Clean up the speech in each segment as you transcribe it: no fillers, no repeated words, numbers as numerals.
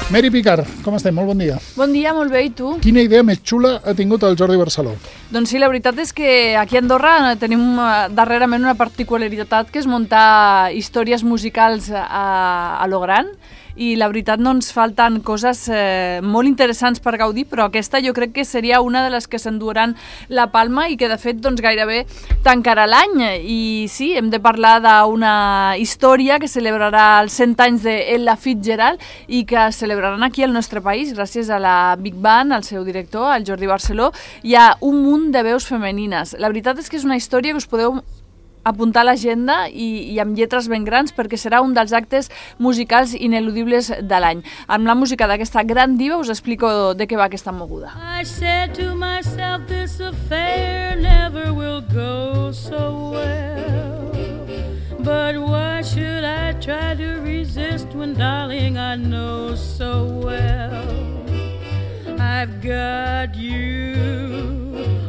Mary Picard, com estem? Molt bon dia. Bon dia, molt bé, i tu? Quina idea més xula ha tingut el Jordi Barceló? Doncs sí, la veritat és que aquí a Andorra tenim darrerament una particularitat que és muntar històries musicals a lo gran, i la veritat no ens falten coses molt interessants per gaudir, però aquesta jo crec que seria una de les que s'enduran la palma i que de fet doncs, gairebé tancarà l'any. I sí, hem de parlar d'una història que celebrarà els 100 anys d'Ella Fitzgerald i que celebraran aquí al nostre país gràcies a la Big Band, al seu director, el Jordi Barceló. Hi ha un munt de veus femenines. La veritat és que és una història que us podeu apuntar a l'agenda i amb lletres ben grans perquè serà un dels actes musicals ineludibles de l'any. Amb la música d'aquesta gran diva us explico de què va aquesta moguda. I said to myself, this affair never will go so well. But why should I try to resist when, darling, I know so well I've got you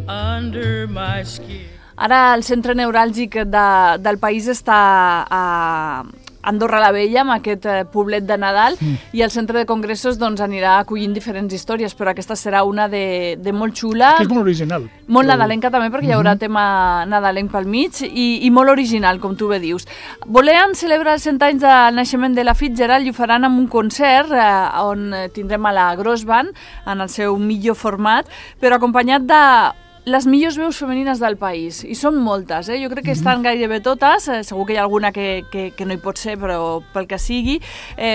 under my skin. Ara el centre neuràlgic del país està a Andorra la Vella, amb aquest poblet de Nadal, i el centre de congressos doncs, anirà acollint diferents històries, però aquesta serà una de molt xula. Que és molt original. Molt nadalenca també, perquè hi haurà tema nadalenc pel mig, i molt original, com tu bé dius. Volen celebrar els 100 anys del naixement de la Fitzgerald i ho faran amb un concert on tindrem a la Gross Band, en el seu millor format, però acompanyat de les millors veus femenines del país, i són moltes, jo crec que estan gairebé totes, segur que hi ha alguna que no hi pot ser, però pel que sigui,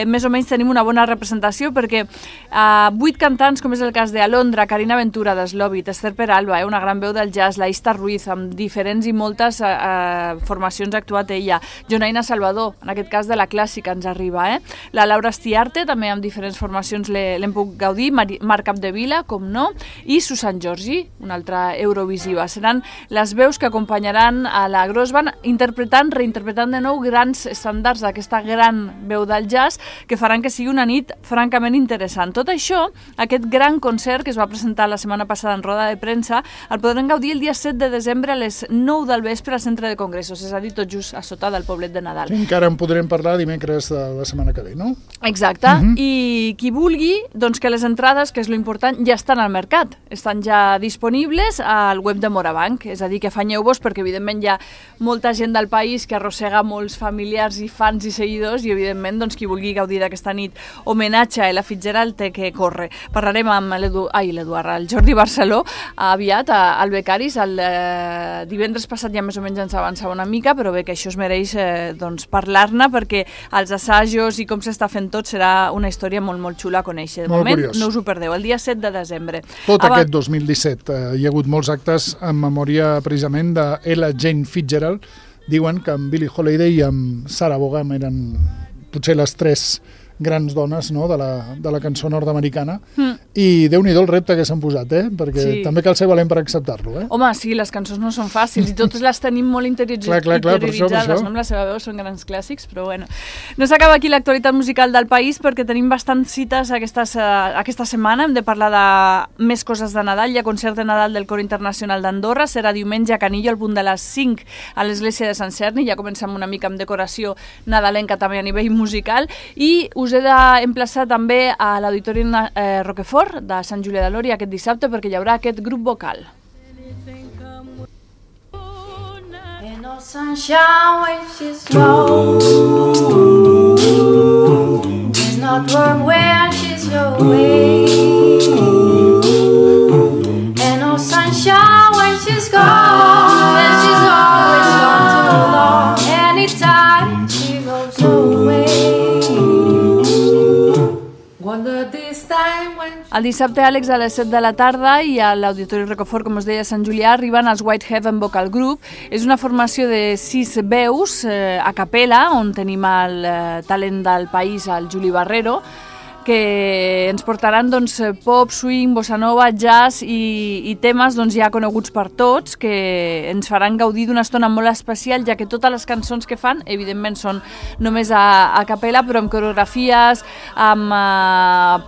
més o menys tenim una bona representació, perquè 8 cantants, com és el cas d'Alondra, Carina Ventura, d'Slobit, Esther Peralba, una gran veu del jazz, la Ista Ruiz, amb diferents i moltes formacions ha actuat ella, Jonaina Salvador, en aquest cas de la clàssica ens arriba, la Laura Estiarte, també amb diferents formacions l'hem pogut gaudir, Marc Capdevila, com no, i Susan Giorgi, una altra Eurovisiva. Seran les veus que acompanyaran a la Gross Band reinterpretant de nou grans estàndards d'aquesta gran veu del jazz que faran que sigui una nit francament interessant. Tot això, aquest gran concert que es va presentar la setmana passada en roda de premsa, el podrem gaudir el dia 7 de desembre a les 9 del vespre al centre de congressos, és a dir, tot just a sota del poblet de Nadal. Sí, encara en podrem parlar dimecres de la setmana que ve, no? Exacte, i qui vulgui, doncs que les entrades, que és lo important, ja estan al mercat, estan ja disponibles al web de Morabanc, és a dir, que afanyeu-vos perquè evidentment hi ha molta gent del país que arrossega molts familiars i fans i seguidors i evidentment doncs, qui vulgui gaudir d'aquesta nit homenatge a Ella Fitzgerald té que córrer. Parlarem amb el Jordi Barceló aviat al Becaris, el divendres passat ja més o menys ens avançava una mica, però bé que això es mereix doncs, parlar-ne perquè els assajos i com s'està fent tot serà una història molt, molt xula a conèixer. De moment no us ho perdeu, el dia 7 de desembre. Tot aquest 2017 hi ha hagut molts actes en memòria precisament d'Ella Jane Fitzgerald. Diuen que amb Billie Holiday i amb Sarah Vaughan eren potser les 3 grans dones, no?, de la cançó nord-americana, i déu-n'hi-do el repte que s'han posat, perquè també cal ser valent per acceptar-lo. Home, sí, les cançons no són fàcils i totes les tenim molt interioritzades, no? Amb la seva veu són grans clàssics, però bueno. No s'acaba aquí l'actualitat musical del país perquè tenim bastants cites aquesta setmana. Hem de parlar de més coses de Nadal. Hi ha concert de Nadal del Cor Internacional d'Andorra, serà diumenge a Canillo al punt de les 5 a l'església de Sant Cerni. Ja comencem una mica amb decoració nadalenca també a nivell musical, i us he d'emplaçar també a l'Auditori Roquefort de Sant Julià de Lòria aquest dissabte perquè hi haurà aquest grup vocal. No sunshine when she's gone. There's not warm when she's away. And no sunshine when she's gone. And she's always gone too long. Anytime she goes away. El dissabte, Àlex, a les 7 de la tarda i a l'Auditori Rocafort, com us deia, a Sant Julià, arriben els White Heaven Vocal Group. És una formació de 6 veus a capella, on tenim el talent del país, el Juli Barrero, que ens portaran doncs, pop, swing, bossa nova, jazz i temes doncs, ja coneguts per tots, que ens faran gaudir d'una estona molt especial, ja que totes les cançons que fan, evidentment, són només a capella, però amb coreografies, amb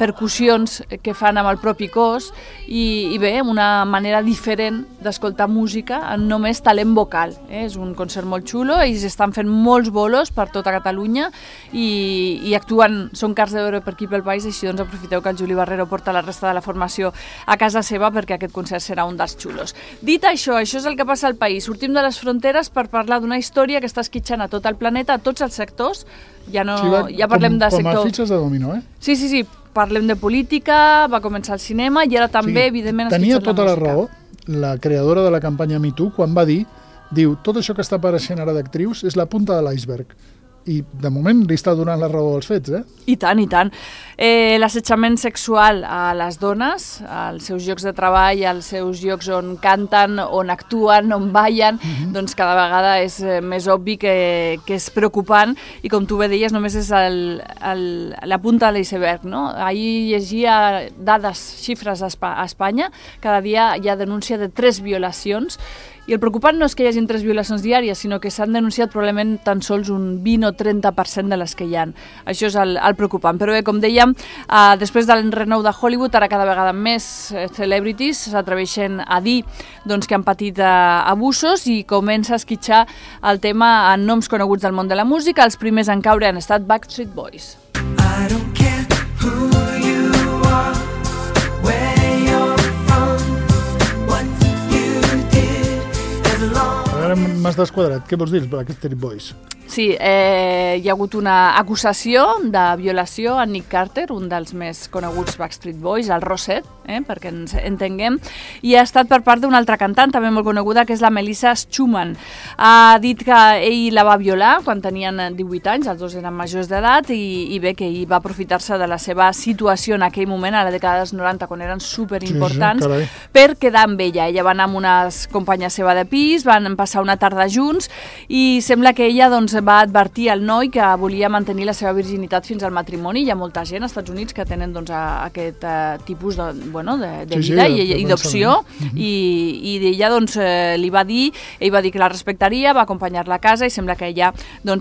percussions que fan amb el propi cos, i bé, una manera diferent d'escoltar música amb només talent vocal. És un concert molt xulo, ells estan fent molts bolos per tota Catalunya i actuen, són cars de veure per aquí pel el país, així doncs aprofiteu que el Juli Barrero porta la resta de la formació a casa seva perquè aquest concert serà un dels xulos. Dit això és el que passa al país. Sortim de les fronteres per parlar d'una història que està esquitxant a tot el planeta, a tots els sectors. Ja parlem de sector... Com a fitxes de dominó, Sí. Parlem de política, va començar el cinema i ara també, evidentment, tenia esquitxant tota la la música. raó la creadora de la campanya Me Too quan va dir, tot això que està apareixent ara d'actrius és la punta de l'iceberg. I, de moment, li està donant la raó als fets, I tant, i tant. L'assetjament sexual a les dones, als seus llocs de treball, als seus llocs on canten, on actuen, on ballen, doncs cada vegada és més obvi que és preocupant i, com tu bé deies, només és la punta de l'iceberg, no? Ahir llegia dades, xifres a Espanya, cada dia hi ha denúncia de 3 violacions. I el preocupant no és que hi hagin 3 violacions diàries, sinó que s'han denunciat probablement tan sols un 20 o 30% de les que hi ha. Això és el preocupant. Però bé, com dèiem, després del renou de Hollywood, ara cada vegada més celebrities s'atreveixen a dir que han patit abusos i comença a esquitxar el tema en noms coneguts del món de la música. Els primers en caure han estat Backstreet Boys. I don't care who you are, where you're from, what you did as long. Ara m'has desquadrat. Què vols dir, Backstreet Boys? Sí, hi ha hagut una acusació de violació a Nick Carter, un dels més coneguts Backstreet Boys, el Rosset, perquè ens entenguem, i ha estat per part d'una altra cantant, també molt coneguda, que és la Melissa Schumann. Ha dit que ell la va violar quan tenien 18 anys, els dos eren majors d'edat, i bé, que ell va aprofitar-se de la seva situació en aquell moment, a la dècada dels 90, quan eren superimportants, per quedar amb ella. Ella va anar amb unes companyes seva de pis, van passar una tarda junts, i sembla que ella va advertir al noi que volia mantenir la seva virginitat fins al matrimoni. Hi ha molta gent als Estats Units que tenen aquest tipus de vida i d'opció, i ella li va dir, ell va dir que la respectaria, va acompanyar-la a casa i sembla que ella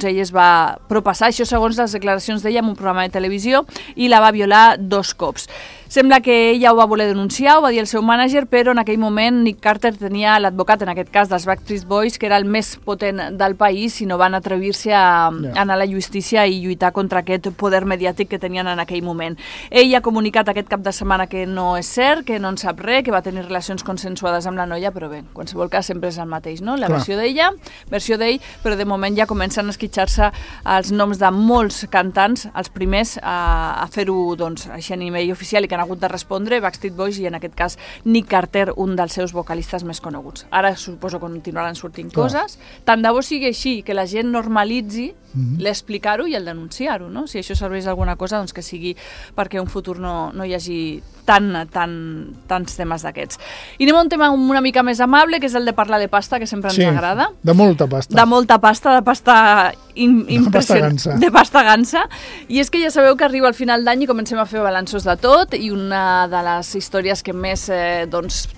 es va propassar, això segons les declaracions d'ella en un programa de televisió, i la va violar 2 cops. Sembla que ella ho va voler denunciar, ho va dir el seu mànager, però en aquell moment Nick Carter tenia l'advocat, en aquest cas dels Backstreet Boys, que era el més potent del país, i no van atrevir-se a anar a la justícia i lluitar contra aquest poder mediàtic que tenien en aquell moment. Ell ha comunicat aquest cap de setmana que no és cert, que no en sap res, que va tenir relacions consensuades amb la noia, però bé, en qualsevol cas sempre és el mateix, no? La versió d'ella, versió d'ell, però de moment ja comencen a esquitxar-se els noms de molts cantants, els primers a fer-ho així a nivell oficial i que han hagut de respondre, Backstreet Boys, i en aquest cas Nick Carter, un dels seus vocalistes més coneguts. Ara suposo que continuaran sortint coses. Tant de bo sigui així, que la gent normalitzi l'explicar-ho i el denunciar-ho, no? Si això serveix d'alguna cosa, doncs que sigui perquè en un futur no hi hagi tants temes d'aquests. I anem a un tema una mica més amable, que és el de parlar de pasta, que sempre ens agrada. De molta pasta. De molta pasta, de pasta impressionant. De pasta gansa. I és que ja sabeu que arriba al final d'any i comencem a fer balanços de tot, i una de les històries que més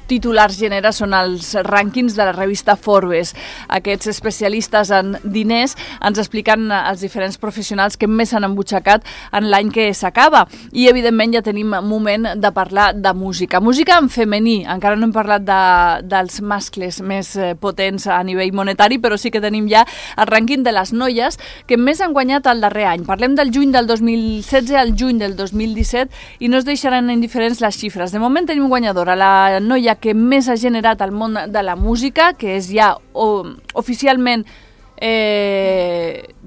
titulars genera són els rànquings de la revista Forbes. Aquests especialistes en diners ens expliquen els diferents professionals que més s'han embutxacat en l'any que s'acaba. I, evidentment, ja tenim moment de parlar de música. Música en femení. Encara no hem parlat dels mascles més potents a nivell monetari, però sí que tenim ja el rànquing de les noies que més han guanyat el darrer any. Parlem del juny del 2016 al juny del 2017 i no es deixaran indiferents les xifres. De moment tenim guanyadora, la noia que més ha generat al món de la música, que és ja oficialment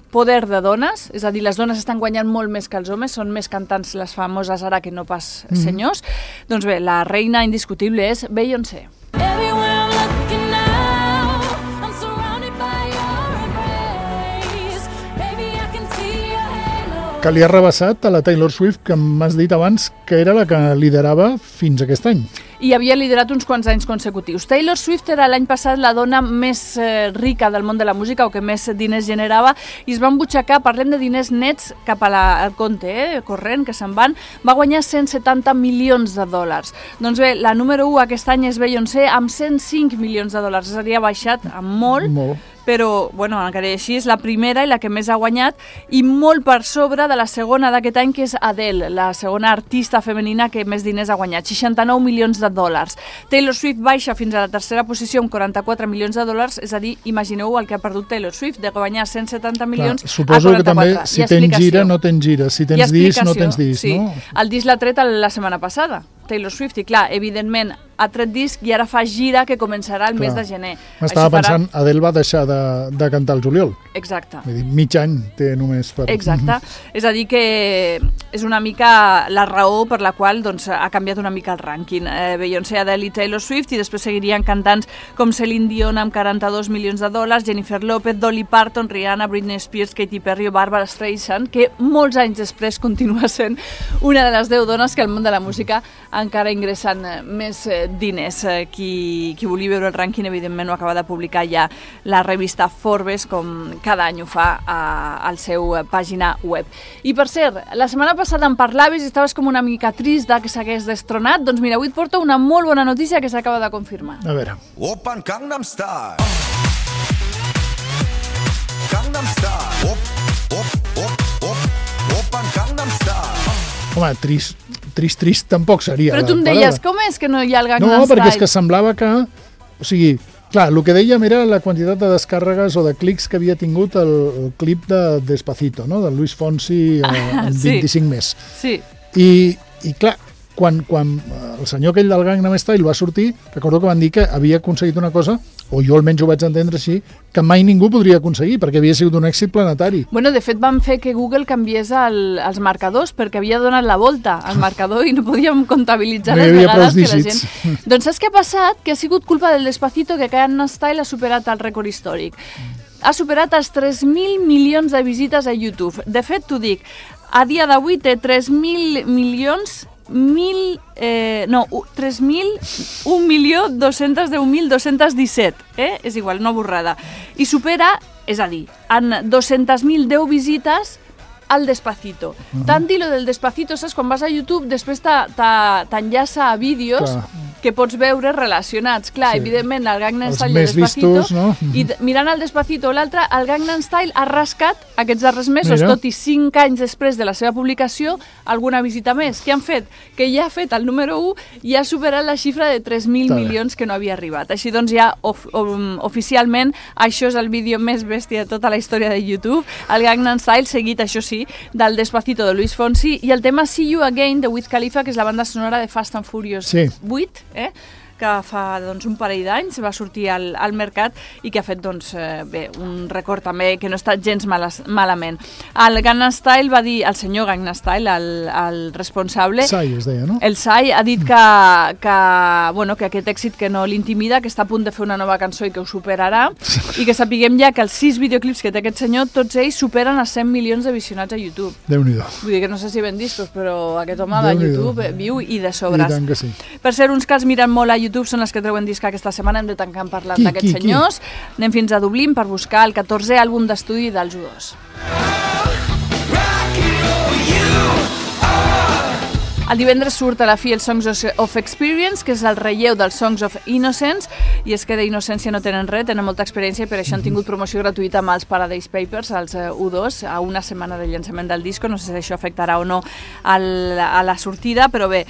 poder de dones, és a dir, les dones estan guanyant molt més que els homes, són més cantants les famoses ara que no pas senyors. Doncs bé, la reina indiscutible és Beyoncé. Que li ha rebassat a la Taylor Swift, que m'has dit abans que era la que liderava fins aquest any. I havia liderat uns quants anys consecutius. Taylor Swift era l'any passat la dona més rica del món de la música, o que més diners generava, i es va embutxacar, parlem de diners nets cap al compte corrent, que se'n van, va guanyar 170 milions de dòlars. Doncs bé, la número 1 aquest any és Beyoncé, amb 105 milions de dòlars, és a dir, ha baixat amb molt. però, bueno, encara així és la primera i la que més ha guanyat, i molt per sobre de la segona d'aquest any, que és Adele, la segona artista femenina que més diners ha guanyat, 69 milions de dòlars. Taylor Swift baixa fins a la tercera posició amb 44 milions de dòlars, és a dir, imagineu el que ha perdut Taylor Swift, de guanyar 170 milions a 44. Suposo que també, si tens gira, no tens gira, si tens disc, no tens disc, sí. no? El disc l'ha tret la setmana passada, Taylor Swift, i clar, evidentment ha tret disc i ara fa gira que començarà el mes de gener. M'estava pensant, Adele va deixar de cantar el juliol. Exacte. Vull dir, mig any té només per... Exacte. És a dir que és una mica la raó per la qual doncs, ha canviat una mica el rànquing. Beyoncé, Adele i Taylor Swift, i després seguirien cantants com Celine Dion amb 42 milions de dòlars, Jennifer Lopez, Dolly Parton, Rihanna, Britney Spears, Katy Perry o Barbara Streisand, que molts anys després continua sent una de les 10 dones que al món de la música encara ingressen més diners. Qui vulgui veure el rànquing, evidentment, ho acaba de publicar ja la revista Forbes, com cada any ho fa al seu pàgina web. I per cert, la setmana passada em parlaves i estaves com una mica trist que s'hagués destronat. Doncs mira, avui et porto una molt bona notícia que s'acaba de confirmar. A veure. Oppan Gangnam Style. Gangnam Style. Oppan Gangnam Style. Home, trist tampoc seria. Però tu em deies, com és que no hi ha el Gangnam Style? No, perquè és que semblava que... O sigui, clar, el que dèiem era la quantitat de descàrregues o de clics que havia tingut el clip de Despacito, no?, de Luis Fonsi amb 25 més. Sí. I clar, quan el senyor aquell del Gangnam Style va sortir, recordo que van dir que havia aconseguit una cosa, o jo almenys ho vaig entendre així, que mai ningú podria aconseguir, perquè havia sigut un èxit planetari. Bueno, de fet van fer que Google canviés els marcadors, perquè havia donat la volta al marcador i no podíem comptabilitzar les vegades que la gent... Doncs saps què ha passat? Que ha sigut culpa del Despacito que Gangnam Style ha superat el rècord històric. Ha superat els 3.000 milions de visites a YouTube. De fet, t'ho dic, a dia d'avui té 3.000 milions... 3.1.210.217, és igual, una borrada. I supera, és a dir, en 200.010 visites al Despacito. Tant dir lo del Despacito, saps? Quan vas a YouTube, després t'enllaça a vídeos que pots veure relacionats. Clar, evidentment, el Gangnam Style i el Despacito, i mirant el Despacito o l'altre, el Gangnam Style ha rascat aquests darrers mesos, tot i 5 anys després de la seva publicació, alguna visita més. Què han fet? Que ja ha fet el número 1 i ha superat la xifra de 3.000 milions que no havia arribat. Així doncs ja oficialment això és el vídeo més bèstia de tota la història de YouTube, el Gangnam Style, seguit, això sí, del Despacito de Luis Fonsi, i el tema See You Again de Wiz Khalifa, que és la banda sonora de Fast and Furious 8, que fa un parell d'anys va sortir al mercat i que ha fet un record també que no està gens malament. El Gangnam Style va dir, el senyor Gangnam Style, el responsable, Psy es deia, no? El Psy ha dit que aquest èxit que no l'intimida, que està a punt de fer una nova cançó i que ho superarà, i que sapiguem ja que els 6 videoclips que té aquest senyor, tots ells superen els 100 milions de visionats a YouTube. Déu-n'hi-do. Vull dir que no sé si ben discos, però aquest home de YouTube viu i de sobres. I tant que sí. Per ser uns que els miren molt a YouTube són els que treuen disc aquesta setmana. Hem de tancar parlant d'aquests senyors. Anem fins a Dublín per buscar el 14è àlbum d'estudi dels U2. El divendres surt a la fi el Songs of Experience, que és el relleu dels Songs of Innocence, i és que d'Innocència no tenen res, tenen molta experiència, i per això han tingut promoció gratuïta amb els Paradise Papers, els U2, a una setmana del llançament del disco. No sé si això afectarà o no a la sortida, però bé,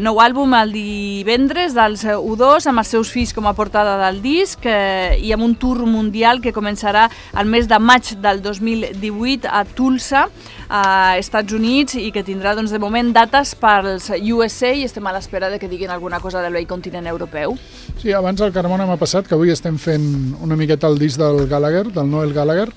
nou àlbum el divendres dels U2, amb els seus fills com a portada del disc, i amb un tour mundial que començarà el mes de maig del 2018 a Tulsa, a Estats Units, i que tindrà de moment dates pels USA, i estem a l'espera de que diguin alguna cosa del vell continent europeu. Sí, abans el Carmona m'ha passat que avui estem fent una miqueta el disc del Gallagher, del Noel Gallagher,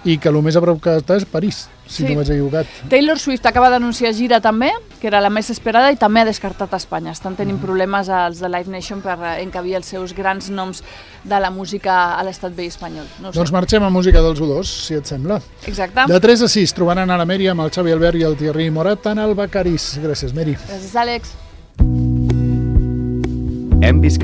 i que el més a prop que està és París, si no vaig equivocat. Taylor Swift acaba d'anunciar gira també, que era la més esperada, i també ha descartat Espanya. Estan tenint problemes els de Live Nation per encabir els seus grans noms de la música a l'estat vell espanyol. Doncs marxem a música dels U2, si et sembla. Exacte. De 3 a 6 trobaran a la Mèria amb el Xavi Albert i el Thierry Morat en el Becaris. Gràcies, Meri. Gràcies, Àlex. Hem vist